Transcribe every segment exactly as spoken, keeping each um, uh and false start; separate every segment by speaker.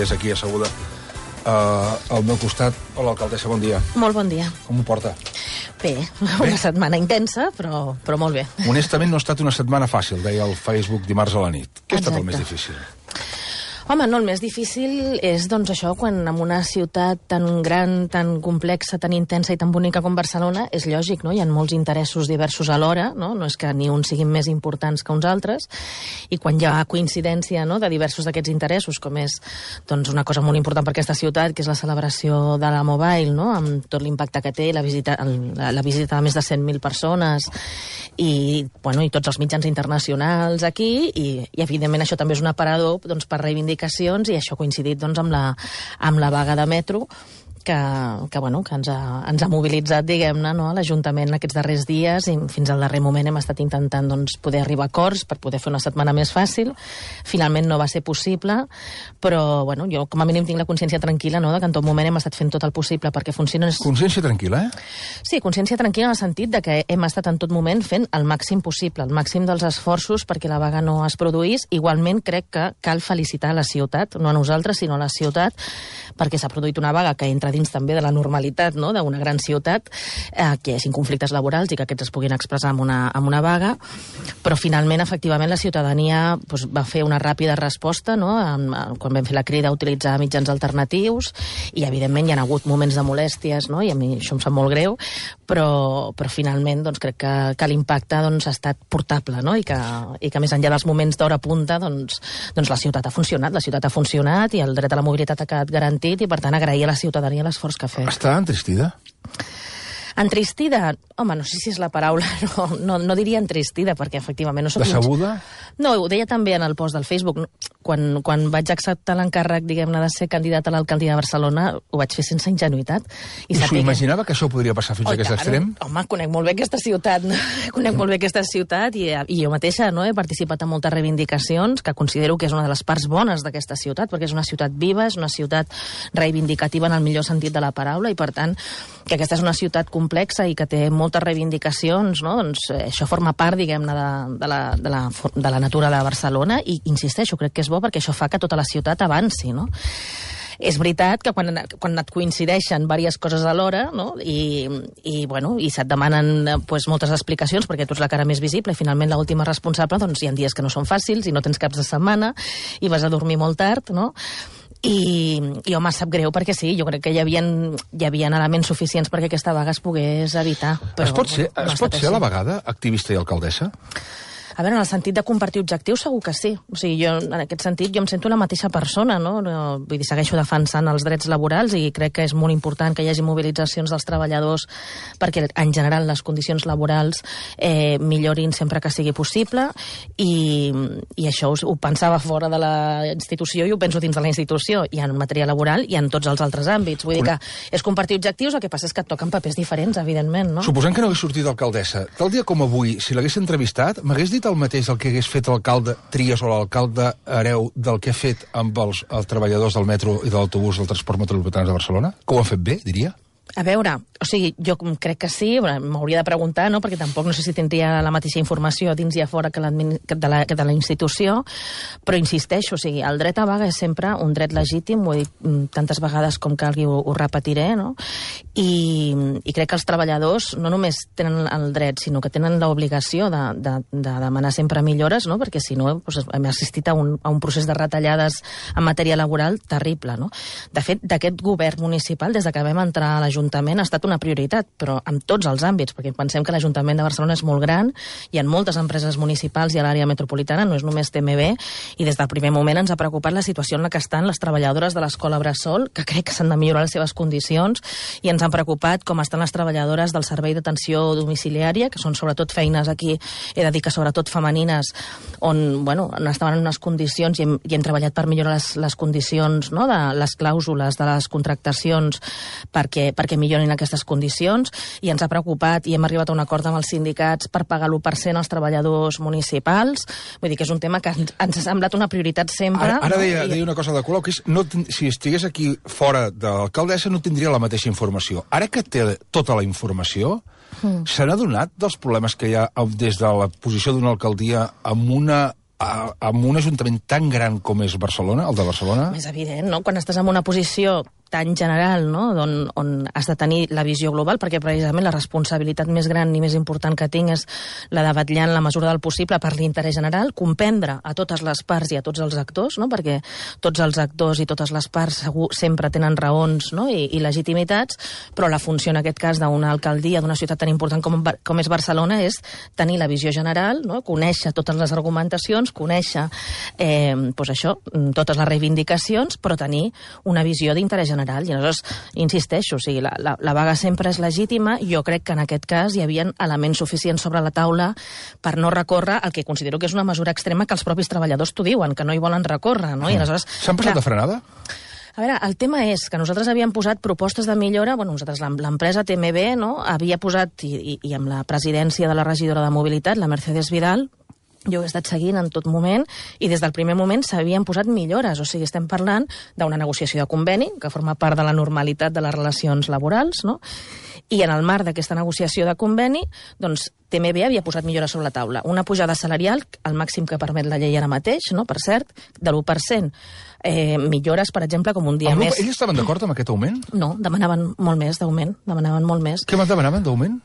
Speaker 1: És aquí asseguda uh, al meu costat. Hola, alcaldessa, bon dia.
Speaker 2: Molt bon dia.
Speaker 1: Com ho porta?
Speaker 2: Bé, Bé? una setmana intensa, però, però molt bé.
Speaker 1: Honestament, no ha estat una setmana fàcil, deia el Facebook dimarts a la nit. Què ha estat el més difícil?
Speaker 2: Home, no, el més difícil és, doncs, això, quan en una ciutat tan gran, tan complexa, tan intensa i tan bonica com Barcelona, és lògic, no? Hi ha molts interessos diversos alhora, no? No és que ni uns siguin més importants que uns altres, i quan hi ha coincidència, no?, de diversos d'aquests interessos, com és, doncs, una cosa molt important per aquesta ciutat, que és la celebració de la Mobile, no?, amb tot l'impacte que té, la visita, la, la visita de més de cent mil persones, i, bueno, i tots els mitjans internacionals aquí, i, i evidentment això també és un aparador, doncs, per reivindicar i això ha coincidit, doncs, amb la, amb la vaga de metro que, que, bueno, que ens, ha, ens ha mobilitzat, diguem-ne, no?, a l'Ajuntament aquests darrers dies, i fins al darrer moment hem estat intentant, doncs, poder arribar a acords per poder fer una setmana més fàcil. Finalment no va ser possible, però, bueno, jo com a mínim tinc la consciència tranquil·la, no?, de que en tot moment hem estat fent tot el possible perquè funcioni.
Speaker 1: Consciència tranquil·la, eh?
Speaker 2: Sí, consciència tranquil·la en el sentit de que hem estat en tot moment fent el màxim possible, el màxim dels esforços perquè la vaga no es produís. Igualment crec que cal felicitar la ciutat, no a nosaltres, sinó a la ciutat, perquè s'ha produït una vaga que entra dins també de la normalitat, no?, d'una gran ciutat, eh, que hi hagi conflictes laborals i que aquests es puguin expressar amb una, amb una vaga, però finalment, efectivament, la ciutadania, doncs, va fer una ràpida resposta, no?, amb, quan vam fer la crida a utilitzar mitjans alternatius, i evidentment hi ha hagut moments de molèsties, no?, i a mi això em sap molt greu, però, però finalment, doncs, crec que, que l'impacte, doncs, ha estat portable, no?, i que, i que més enllà dels moments d'hora punta, doncs, doncs la ciutat ha funcionat, la ciutat ha funcionat i el dret a la mobilitat ha quedat garantit, i per tant agrair a la ciutadania l'esforç que ha fet.
Speaker 1: Està entristida?
Speaker 2: Entristida? Home, no sé si és la paraula, no, no, no diria entristida, perquè efectivament no soc...
Speaker 1: Decebuda?
Speaker 2: No, ho deia també en el post del Facebook. Quan, quan vaig acceptar l'encàrrec, diguem-ne, de ser candidat a l'alcaldia de Barcelona, ho vaig fer sense ingenuïtat.
Speaker 1: I, I s'ho imaginava que això podria passar fins
Speaker 2: oh,
Speaker 1: a aquest
Speaker 2: tant.
Speaker 1: extrem?
Speaker 2: Home, conec molt bé aquesta ciutat, no? Conec molt bé aquesta ciutat, i, i jo mateixa, no?, he participat en moltes reivindicacions, que considero que és una de les parts bones d'aquesta ciutat, perquè és una ciutat viva, és una ciutat reivindicativa en el millor sentit de la paraula, i per tant, que aquesta és una ciutat complexa i que té moltes reivindicacions, no?, doncs eh, això forma part, diguem-ne, de, de, la, de, la, de la natura de Barcelona, i insisteixo, crec que és bo perquè això fa que tota la ciutat avanci, no? És veritat que quan, quan et coincideixen diverses coses alhora, no?, i, i, bueno, i se't demanen, pues, moltes explicacions perquè tu ets la cara més visible i finalment l'última responsable, doncs hi ha dies que no són fàcils i no tens caps de setmana i vas a dormir molt tard, no? I, i home, sap greu perquè sí, jo crec que hi havia, hi havia elements suficients perquè aquesta vaga es pogués evitar. Però,
Speaker 1: es pot ser,
Speaker 2: no
Speaker 1: es pot ser a la vegada activista i alcaldessa?
Speaker 2: A veure, en el sentit de compartir objectius segur que sí. O sigui, jo, en aquest sentit, jo em sento la mateixa persona, no? Vull dir, segueixo defensant els drets laborals i crec que és molt important que hi hagi mobilitzacions dels treballadors perquè, en general, les condicions laborals eh, millorin sempre que sigui possible, i, i això ho, ho pensava fora de la institució i ho penso dins de la institució, i en matèria laboral i en tots els altres àmbits. Vull dir que és compartir objectius, el que passa és que et toquen papers diferents, evidentment, no?
Speaker 1: Suposant que no hagués sortit d'alcaldessa, tal dia com avui, si l'hagués entrevistat, m'hagués dit el mateix el que hagués fet l'alcalde Trias o l'alcalde Hereu del que ha fet amb els, els treballadors del metro i de l'autobús del transport metropolità de Barcelona? Que ho han fet bé, diria?
Speaker 2: A veure, o sigui, jo crec que sí, m'hauria de preguntar, no?, perquè tampoc no sé si tindria la mateixa informació dins i a fora que, de la, que de la institució, però insisteixo, o sigui, el dret a vaga és sempre un dret legítim, ho he dit tantes vegades com calgui, ho, ho repetiré, no?, i, i crec que els treballadors no només tenen el dret, sinó que tenen l'obligació de, de, de demanar sempre millores, no?, perquè si no, doncs, hem assistit a un, a un procés de retallades en matèria laboral terrible, no? De fet, d'aquest govern municipal, des de que vam entrar a l'Ajuntament, ha estat una prioritat, però en tots els àmbits, perquè pensem que l'Ajuntament de Barcelona és molt gran, hi ha moltes empreses municipals i a l'àrea metropolitana, no és només T M B, i des del primer moment ens ha preocupat la situació en la que estan les treballadores de l'escola Bressol, que crec que s'han de millorar les seves condicions, i ens han preocupat com estan les treballadores del servei d'atenció domiciliària, que són sobretot feines aquí, he de dir que sobretot femenines, on, bueno, on estaven en unes condicions i hem, i hem treballat per millorar les, les condicions, no?, de les clàusules de les contractacions perquè, perquè que millorin aquestes condicions, i ens ha preocupat i hem arribat a un acord amb els sindicats per pagar l'u per cent als treballadors municipals. Vull dir que és un tema que ens, ens ha semblat una prioritat sempre.
Speaker 1: Ara, ara
Speaker 2: no?
Speaker 1: deia,
Speaker 2: I...
Speaker 1: deia una cosa de Colau, que és, no, si estigués aquí fora de l'alcaldessa no tindria la mateixa informació. Ara que té tota la informació, mm. se n'ha adonat dels problemes que hi ha des de la posició d'una alcaldia amb una amb un ajuntament tan gran com és Barcelona, el de Barcelona...
Speaker 2: És evident, no? Quan estàs en una posició tan general, no? on, on has de tenir la visió global, perquè precisament la responsabilitat més gran i més important que tinc és la de vetllar en la mesura del possible per l'interès general, comprendre a totes les parts i a tots els actors, no? Perquè tots els actors i totes les parts segur sempre tenen raons, no? I, i legitimitats, però la funció en aquest cas d'una alcaldia, d'una ciutat tan important com, com és Barcelona, és tenir la visió general, no? Conèixer totes les argumentacions, conèixer eh, doncs això, totes les reivindicacions, però tenir una visió d'interès general. I aleshores, insisteixo, o sigui, la, la, la vaga sempre és legítima. Jo crec que en aquest cas hi havia elements suficients sobre la taula per no recórrer el que considero que és una mesura extrema que els propis treballadors t'ho diuen, que no hi volen recórrer, no? I aleshores...
Speaker 1: S'han passat de frenada?
Speaker 2: A veure, el tema és que nosaltres havíem posat propostes de millora, bueno, nosaltres, l'empresa T M B, no?, havia posat, i, i, i amb la presidència de la regidora de Mobilitat, la Mercedes Vidal, jo he estat seguint en tot moment i des del primer moment s'havien posat millores. O sigui, estem parlant d'una negociació de conveni que forma part de la normalitat de les relacions laborals, no? I en el marc d'aquesta negociació de conveni, doncs, T M B havia posat millores sobre la taula. Una pujada salarial, el màxim que permet la llei ara mateix, no? Per cert, de l'u per cent. Eh, millores, per exemple, com un dia
Speaker 1: el
Speaker 2: més...
Speaker 1: Ells estaven d'acord amb aquest augment?
Speaker 2: No, demanaven molt més d'augment. Demanaven molt més.
Speaker 1: Què demanaven d'augment?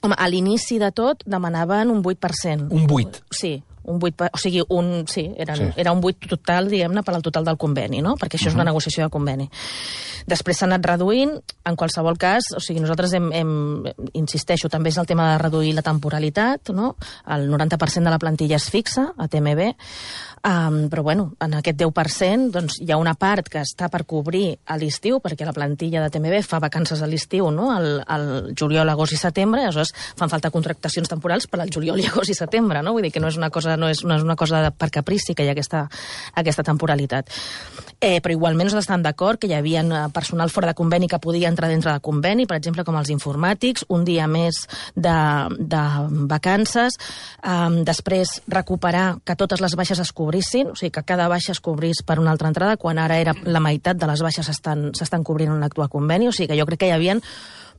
Speaker 2: Home, a l'inici de tot demanaven un vuit per cent.
Speaker 1: Un vuit?
Speaker 2: Sí, un vuit per... o sigui, un... sí, eren, sí. Era un vuit total, diguem-ne, per al total del conveni, no? Perquè això uh-huh. és una negociació de conveni. Després s'ha anat reduint, en qualsevol cas, o sigui, nosaltres hem, hem, insisteixo, també és el tema de reduir la temporalitat, no? El noranta per cent de la plantilla es fixa a T M B, um, però bueno, en aquest deu per cent doncs, hi ha una part que està per cobrir a l'estiu, perquè la plantilla de T M B fa vacances a l'estiu, no? El, el juliol, agost i setembre, aleshores fan falta contractacions temporals per al juliol i agost i setembre, no? Vull dir que no és una cosa, no és, no és una cosa per caprici que hi ha aquesta, aquesta temporalitat. Eh, però igualment nosaltres estem d'acord que hi havia personal fora de conveni que podia entrar dintre de conveni, per exemple, com els informàtics, un dia més de, de vacances, um, després recuperar que totes les baixes es cobrissin, o sigui, que cada baixa es cobrís per una altra entrada, quan ara era la meitat de les baixes s'estan cobrint en l'actual conveni, o sigui que jo crec que hi havia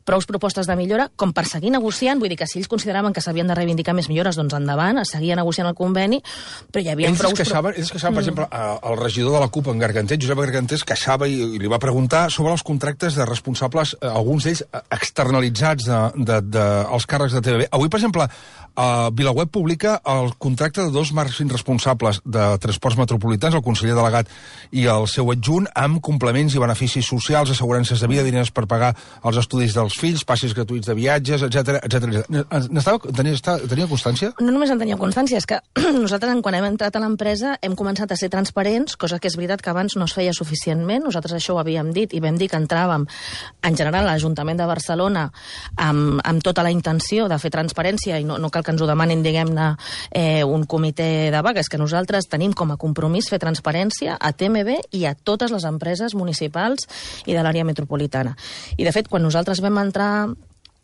Speaker 2: prou propostes de millora com per seguir negociant, vull dir que si ells consideraven que s'havien de reivindicar més millores, doncs endavant, es seguia negociant el conveni, però hi havia
Speaker 1: ells
Speaker 2: prou...
Speaker 1: Es queixaven, ells es queixaven, mm. per exemple, el regidor de la CUP en Garganter, Josep Garganter, es queixava i, i li va preguntar sobre els contractes de responsables, alguns d'ells externalitzats de, de, de, els càrrecs de T V B. Avui, per exemple, Uh, VilaWeb publica el contracte de dos màxims responsables de transports metropolitans, el conseller delegat i el seu adjunt, amb complements i beneficis socials, assegurances de vida, diners per pagar els estudis dels fills, passes gratuïts de viatges, etcètera, etcètera. Tenia, tenia constància?
Speaker 2: No només en tenia constància, és que nosaltres, quan hem entrat a l'empresa, hem començat a ser transparents, cosa que és veritat que abans no es feia suficientment. Nosaltres això ho havíem dit i vam dir que entràvem, en general, a l'Ajuntament de Barcelona amb, amb tota la intenció de fer transparència i no, no cal que ens ho demanin, diguem-ne, eh, un comitè de vagues, que nosaltres tenim com a compromís fer transparència a T M B i a totes les empreses municipals i de l'àrea metropolitana. I, de fet, quan nosaltres vam entrar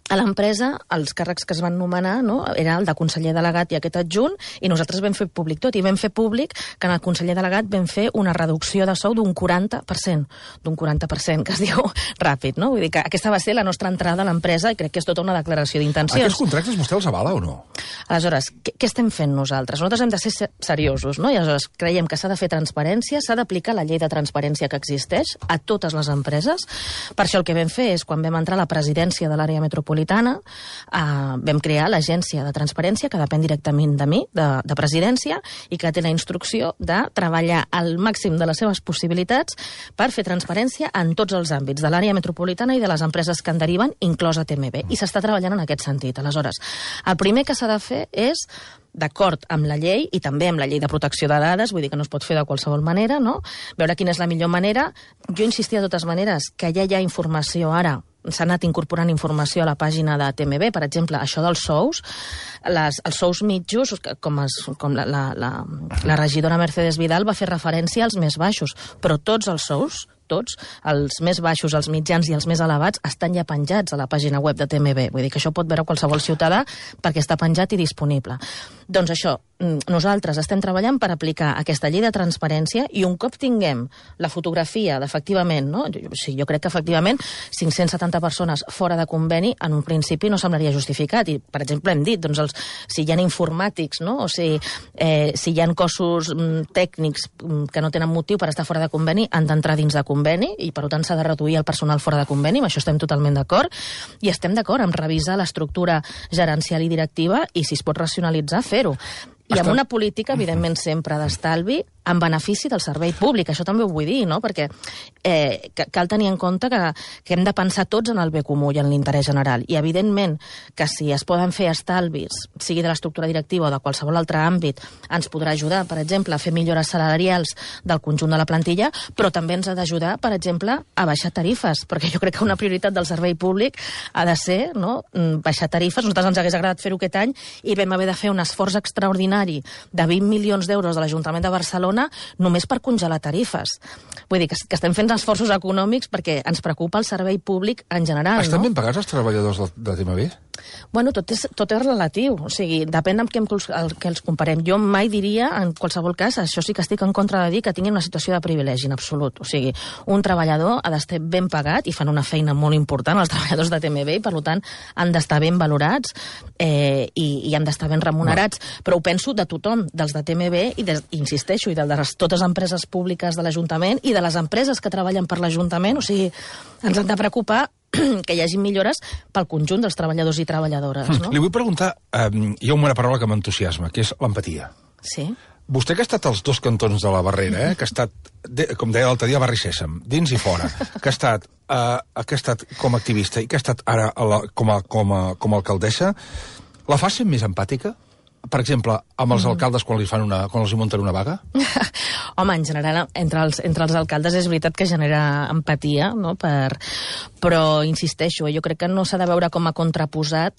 Speaker 2: a l'empresa, els càrrecs que es van nomenar, no?, era el de conseller delegat i aquest adjunt, i nosaltres vam fer públic tot, i vam fer públic que en el conseller delegat vam fer una reducció de sou d'un quaranta per cent, d'un quaranta per cent, que es diu ràpid, no? Vull dir que aquesta va ser la nostra entrada a l'empresa i crec que és tota una declaració d'intencions.
Speaker 1: Aquests contractes vostè els avala o no?
Speaker 2: Aleshores, què, què estem fent nosaltres? Nosaltres hem de ser seriosos, no? I aleshores creiem que s'ha de fer transparència, s'ha d'aplicar la llei de transparència que existeix a totes les empreses. Per això el que vam fer és, quan vam entrar a la presidència de l'àrea metropolitana, Uh, vam crear l'agència de transparència, que depèn directament de mi, de, de presidència, i que té la instrucció de treballar al màxim de les seves possibilitats per fer transparència en tots els àmbits de l'àrea metropolitana i de les empreses que en deriven, inclosa T M B. I s'està treballant en aquest sentit. Aleshores, el primer que s'ha de fer és, d'acord amb la llei i també amb la llei de protecció de dades, vull dir que no es pot fer de qualsevol manera, no?, veure quina és la millor manera. Jo insistia de totes maneres que ja hi ha informació ara, s'ha anat incorporant informació a la pàgina de T M B, per exemple, això dels sous, les, els sous mitjos, com, es, com la, la, la, la regidora Mercedes Vidal va fer referència als més baixos, però tots els sous, tots, els més baixos, els mitjans i els més elevats, estan ja penjats a la pàgina web de T M B. Vull dir que això pot veure qualsevol ciutadà perquè està penjat i disponible. Doncs això, nosaltres estem treballant per aplicar aquesta llei de transparència i un cop tinguem la fotografia d'efectivament, no? Jo, sí, jo crec que efectivament cinc-cents setanta persones fora de conveni en un principi no semblaria justificat. I, per exemple, hem dit, doncs, els, si hi ha informàtics, no? O si, eh, si hi ha cossos mm, tècnics mm, que no tenen motiu per estar fora de conveni, han d'entrar dins de conveni i, per tant, s'ha de reduir el personal fora de conveni. Amb això estem totalment d'acord. I estem d'acord en revisar l'estructura gerencial i directiva i, si es pot racionalitzar, fer-ho. I amb una política, evidentment, sempre d'estalvi en benefici del servei públic. Això també ho vull dir, no? Perquè eh, cal tenir en compte que, que hem de pensar tots en el bé comú i en l'interès general. I, evidentment, que si es poden fer estalvis, sigui de l'estructura directiva o de qualsevol altre àmbit, ens podrà ajudar, per exemple, a fer millores salarials del conjunt de la plantilla, però també ens ha d'ajudar, per exemple, a baixar tarifes, perquè jo crec que una prioritat del servei públic ha de ser, no?, baixar tarifes. Nosaltres ens hagués agradat fer-ho aquest any i vam haver de fer un esforç extraordinari de vint milions d'euros de l'Ajuntament de Barcelona només per congelar tarifes. Vull dir que, que estem fent esforços econòmics perquè ens preocupa el servei públic en general.
Speaker 1: Estan
Speaker 2: no?
Speaker 1: ben pagats els treballadors de, de T M B?
Speaker 2: Bueno, tot és, tot és relatiu. O sigui, depèn amb què, el, que els comparem. Jo mai diria, en qualsevol cas, això sí que estic en contra de dir que tinguin una situació de privilegi, en absolut. O sigui, un treballador ha d'estar ben pagat i fan una feina molt important, els treballadors de T M B, i per tant han d'estar ben valorats eh, i, i han d'estar ben remunerats. No. Però ho penso de tothom, dels de T M B, i de, insisteixo, i de les, totes les empreses públiques de l'Ajuntament i de les empreses que treballen per l'Ajuntament. O sigui, ens han de preocupar que hi hagi millores pel conjunt dels treballadors i treballadores. No?
Speaker 1: Li vull preguntar, eh, hi ha una paraula que m'entusiasma, que és l'empatia.
Speaker 2: Sí.
Speaker 1: Vostè que ha estat als dos cantons de la barrera, eh, que ha estat, de, com deia l'altre dia, a Barri Sèsam, dins i fora, que ha estat, eh, que ha estat com a activista i que ha estat ara a la, com, a, com, a, com a alcaldessa, la fa ser més empàtica? Per exemple, amb els mm. alcaldes quan, li fan una, quan els hi munten una vaga?
Speaker 2: Home, en general, entre els, entre els alcaldes és veritat que genera empatia, no? Per, però insisteixo, jo crec que no s'ha de veure com a contraposat